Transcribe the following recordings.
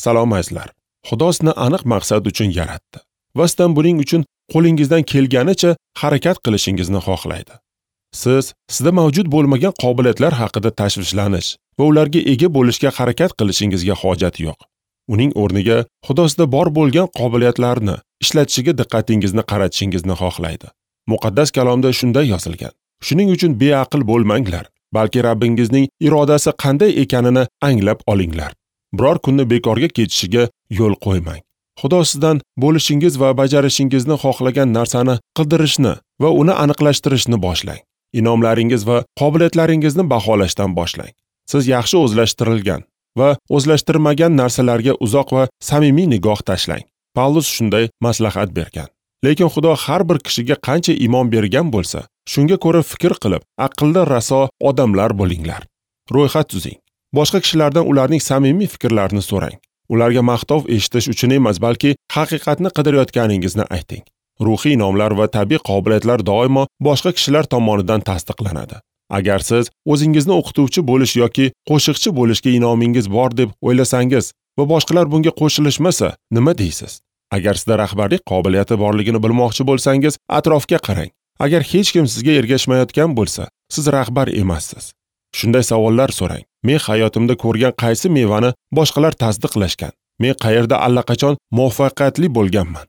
Salom azizlar. Xudo sizni aniq maqsad uchun yaratdi va sizdan buning uchun qo'lingizdan kelganicha harakat qilishingizni xohlaydi. Siz sizda mavjud bo'lmagan qobiliyatlar haqida tashvishlanish va ularga ega bo'lishga harakat qilishingizga hojat yo'q. Uning o'rniga Xudo sizda bor bo'lgan qobiliyatlarni ishlatishiga diqqatingizni qaratishingizni xohlaydi. Muqaddas kalomda shunday yozilgan: Shuning uchun beaql bo'lmanglar, balki Rabbingizning irodasi qanday ekanini anglab olinglar. Biror kunni bekorga ketishiga yo'l qo'ymang. Xudo sizdan bo'lishingiz va bajarishingizni xohlagan narsani qildirishni va uni aniqlashtirishni boshlang. Inomlaringiz va qobiliyatlaringizni baholashdan boshlang. Siz yaxshi o'zlashtirilgan va o'zlashtirmagan narsalarga uzoq va samimiy nigoh tashlang. Pavlus shunday maslahat bergan. Lekin Xudo har bir kishiga qancha iymon bergan bo'lsa, shunga ko'ra fikr qilib, aqlli raso odamlar bo'linglar. Ro'yxat tuzing. Boshqa kishilardan ularning samimiy fikrlarini so'rang. Ularga maqtov eshitish uchun emas, balki haqiqatni qidirayotganingizni ayting. Ruhiy inomlar va tabiiy qobiliyatlar doimo boshqa kishilar tomonidan tasdiqlanadi. Agar siz o'zingizni o'qituvchi bo'lish yoki qo'shiqchi bo'lishga inomingiz bor deb o'ylasangiz va boshqalar bunga qo'shilishmasa, nima deysiz? Agar sizda rahbarlik qobiliyati borligini bilmoqchi bo'lsangiz, atrofga qarang. Agar hech kim sizga ergashmayotgan bo'lsa, siz rahbar emassiz. Shunday savollar so'rang. Men hayotimda ko'rgan qaysi mevani boshqalar tasdiqlashgan? Men qayerda allaqachon muvaffaqiyatli bo'lganman?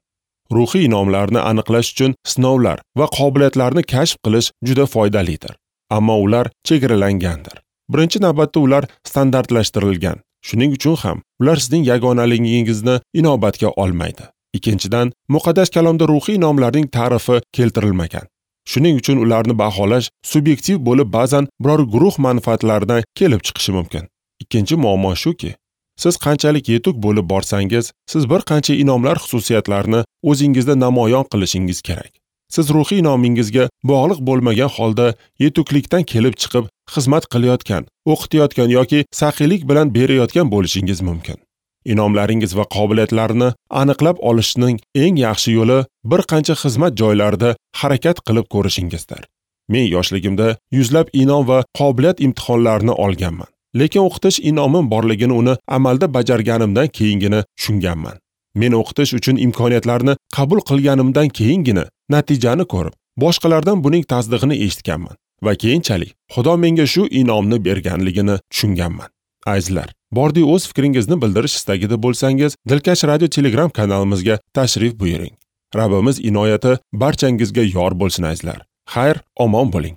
Ruhiy inomlarni aniqlash uchun sinovlar va qobiliyatlarni kashf qilish juda foydalidir. Ammo ular chegaralangandir. Birinchi navbatda ular standartlashtirilgan. Shuning uchun ham ular sizning yagonaligingizni inobatga olmaydi. Ikkinchidan, muqaddas kalomda ruhiy inomlarning ta'rifi keltirilmagan. Shuning uchun ularni baholash subyektiv bo'lib, ba'zan biror guruh manfaatlaridan kelib chiqishi mumkin. Ikkinchi muammo shuki, siz qanchalik yetuk bo'lib borsangiz, siz bir qancha inomlar xususiyatlarini o'zingizda namoyon qilishingiz kerak. Siz ruhiy inomingizga bog'liq bo'lmagan holda yetuklikdan kelib chiqib xizmat qilayotgan, o'qitayotgan yoki saxiylik bilan berayotgan bo'lishingiz mumkin. Inomlaringiz va qobiliyatlarini aniqlab olishning eng yaxshi yo'li bir qancha xizmat joylarida harakat qilib ko'rishingizdir. Men yoshligimda yuzlab inom va qobiliyat imtihonlarini olganman. Lekin o'qitish inomim borligini uni amalda bajarganimdan keyingina tushunganman. Men o'qitish uchun imkoniyatlarni qabul qilganimdan keyingina natijani ko'rib, boshqalardan buning tasdig'ini eshitganman va keyinchalik Xudo menga shu inomni berganligini tushunganman. Azizlar, bordi o'z fikringizni bildirish istagida bo'lsangiz, Dilkash radio Telegram kanalimizga tashrif buyuring. Rabbimiz inoyati barchangizga yor bo'lsin azizlar. Xayr, omon bo'ling.